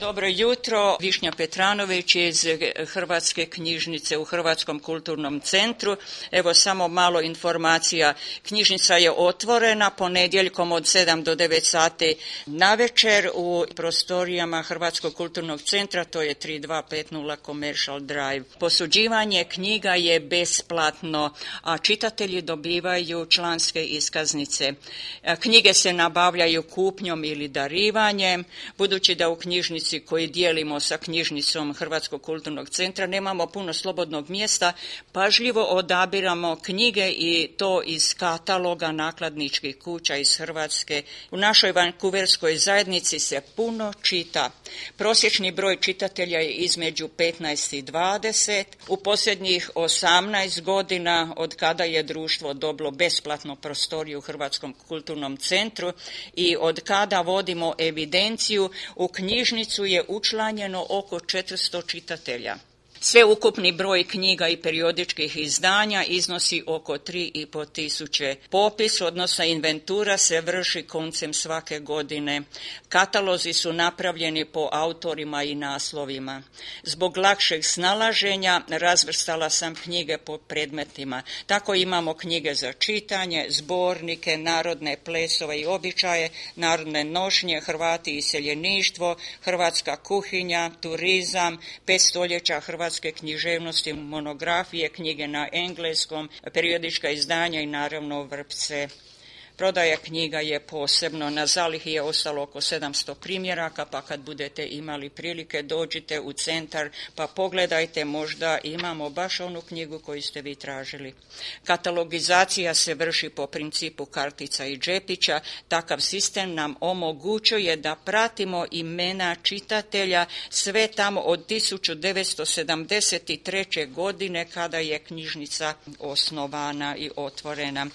Dobro jutro, Višnja Petranović iz Hrvatske knjižnice u Hrvatskom kulturnom centru. Evo samo malo informacija. Knjižnica je otvorena ponedjeljkom od 7 do 9 sati navečer u prostorijama Hrvatskog kulturnog centra, to je 3250 Commercial Drive. Posuđivanje knjiga je besplatno, a čitatelji dobivaju članske iskaznice. Knjige se nabavljaju kupnjom ili darivanjem, budući da u knjižnici koji dijelimo sa knjižnicom Hrvatskog kulturnog centra nemamo puno slobodnog mjesta, pažljivo odabiramo knjige i to iz kataloga nakladničkih kuća iz Hrvatske. U našoj vankuverskoj zajednici se puno čita. Prosječni broj čitatelja je između 15 i 20. U posljednjih 18 godina od kada je društvo dobilo besplatno prostoriju u Hrvatskom kulturnom centru i od kada vodimo evidenciju, u knjižnicu je učlanjeno oko 400 čitatelja. Sveukupni broj knjiga i periodičkih izdanja iznosi oko 3,5 tisuće. Popis, odnosno inventura, se vrši koncem svake godine. Katalozi su napravljeni po autorima i naslovima. Zbog lakšeg snalaženja razvrstala sam knjige po predmetima. Tako imamo knjige za čitanje, zbornike, narodne plesove i običaje, narodne nošnje, Hrvati i iseljeništvo, hrvatska kuhinja, turizam, 5 stoljeća hrvatske književnosti, monografije, knjige na engleskom, periodička izdanja i naravno vrpce. Prodaja knjiga je posebno. Na zalihi je ostalo oko 700 primjeraka, pa kad budete imali prilike dođite u centar pa pogledajte, možda imamo baš onu knjigu koju ste vi tražili. Katalogizacija se vrši po principu kartica i džepića. Takav sistem nam omogućuje da pratimo imena čitatelja sve tamo od 1973. godine kada je knjižnica osnovana i otvorena.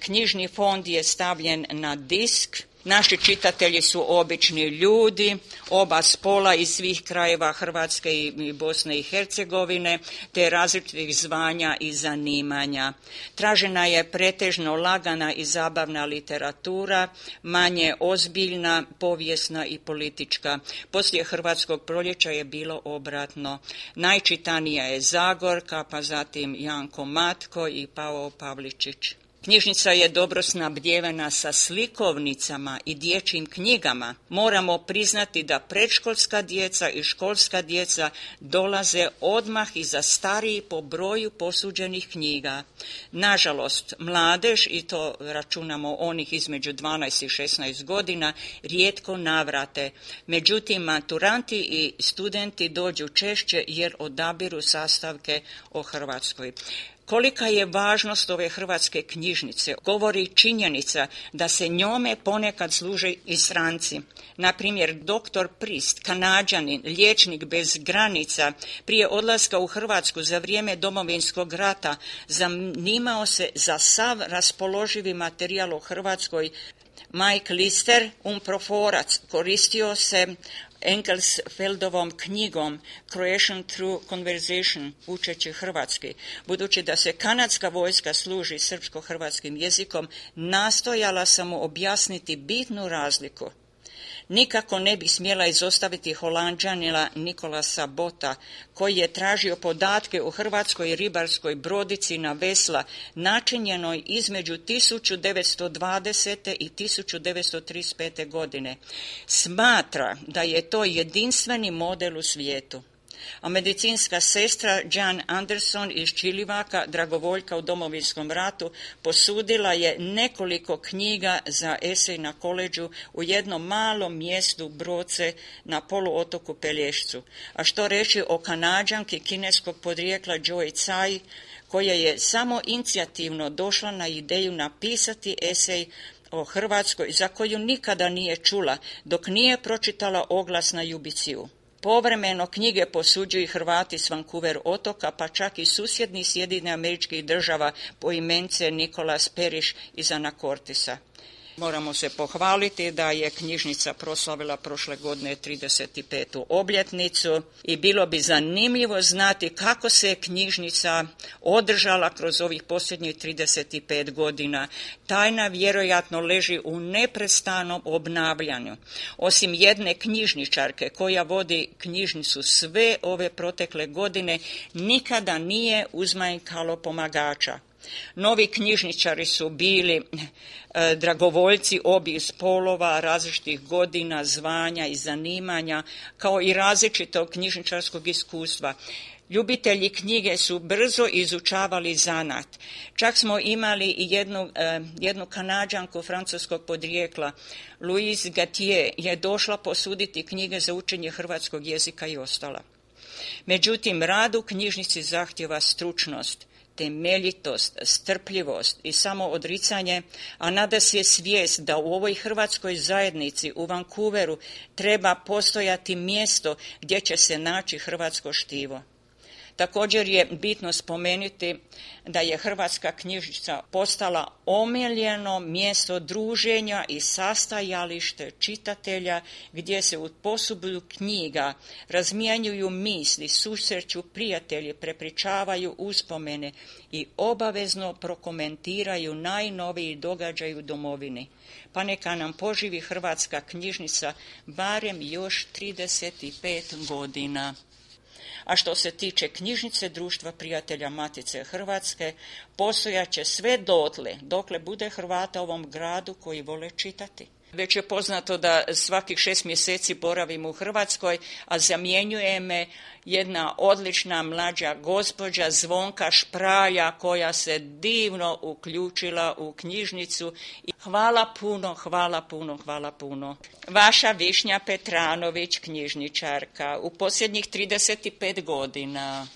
Knjižni fond je stavljen na disk. Naši čitatelji su obični ljudi, oba spola iz svih krajeva Hrvatske i Bosne i Hercegovine, te različitih zvanja i zanimanja. Tražena je pretežno lagana i zabavna literatura, manje ozbiljna, povijesna i politička. Poslije Hrvatskog proljeća je bilo obratno. Najčitanija je Zagorka, pa zatim Janko Matko i Pavao Pavličić. Knjižnica je dobro snabdjevena sa slikovnicama i dječjim knjigama. Moramo priznati da predškolska djeca i školska djeca dolaze odmah iza stariji po broju posuđenih knjiga. Nažalost, mladež, i to računamo onih između 12 i 16 godina, rijetko navrate. Međutim, maturanti i studenti dođu češće jer odabiru sastavke o Hrvatskoj. Kolika je važnost ove hrvatske knjižnice govori činjenica da se njome ponekad služe i stranci. Na primjer, dr. Prist, Kanađanin, liječnik bez granica, prije odlaska u Hrvatsku za vrijeme Domovinskog rata zanimao se za sav raspoloživi materijal o Hrvatskoj. Mike Lister, umproforac, koristio se Engelsfeldovom knjigom Croatian Through Conversation, učeći hrvatski. Budući da se kanadska vojska služi srpsko-hrvatskim jezikom, nastojala sam mu objasniti bitnu razliku. Nikako ne bi smjela izostaviti Holanđanina Nikolasa Bota, koji je tražio podatke o hrvatskoj ribarskoj brodici na vesla načinjenoj između 1920. i 1935. godine. Smatra da je to jedinstveni model u svijetu. A medicinska sestra Jan Anderson iz Čilivaka, dragovoljka u Domovinskom ratu, posudila je nekoliko knjiga za esej na koleđu u jednom malom mjestu Broce na poluotoku Pelješcu. A što reći o Kanađanki kineskog podrijekla Joy Tsai, koja je samo inicijativno došla na ideju napisati esej o Hrvatskoj za koju nikada nije čula, dok nije pročitala oglas na Jubiciju. Povremeno knjige posuđuju i Hrvati s Vancouver otoka, pa čak i susjedni Sjedinjenih Američkih Država, poimence Nikolas Periš iz Anakortisa. Moramo se pohvaliti da je knjižnica proslavila prošle godine 35. obljetnicu i bilo bi zanimljivo znati kako se knjižnica održala kroz ovih posljednjih 35 godina. Tajna vjerojatno leži u neprestanom obnavljanju. Osim jedne knjižničarke koja vodi knjižnicu sve ove protekle godine, nikada nije uzmanjkalo pomagača. Novi knjižničari su bili dragovoljci obih spolova, različitih godina, zvanja i zanimanja, kao i različitog knjižničarskog iskustva. Ljubitelji knjige su brzo izučavali zanat. Čak smo imali i jednu Kanađanku francuskog podrijekla. Louise Gatier je došla posuditi knjige za učenje hrvatskog jezika i ostala. Međutim, rad u knjižnici zahtjeva stručnost, temeljitost, strpljivost i samoodricanje, a nada se svijest da u ovoj hrvatskoj zajednici u Vancouveru treba postojati mjesto gdje će se naći hrvatsko štivo. Također je bitno spomenuti da je Hrvatska knjižnica postala omiljeno mjesto druženja i sastajalište čitatelja gdje se u posudu knjiga razmjenjuju misli, susreću prijatelji, prepričavaju uspomene i obavezno prokomentiraju najnoviji događaj u domovini. Pa neka nam poživi Hrvatska knjižnica barem još 35 godina. A što se tiče knjižnice Društva prijatelja Matice Hrvatske, postojaće sve dokle bude Hrvata u ovom gradu koji vole čitati. Već je poznato da svakih 6 mjeseci boravim u Hrvatskoj, a zamjenjuje me jedna odlična mlađa gospođa Zvonka Špralja koja se divno uključila u knjižnicu. Hvala puno. Vaša Višnja Petranović, knjižničarka, u posljednjih 35 godina.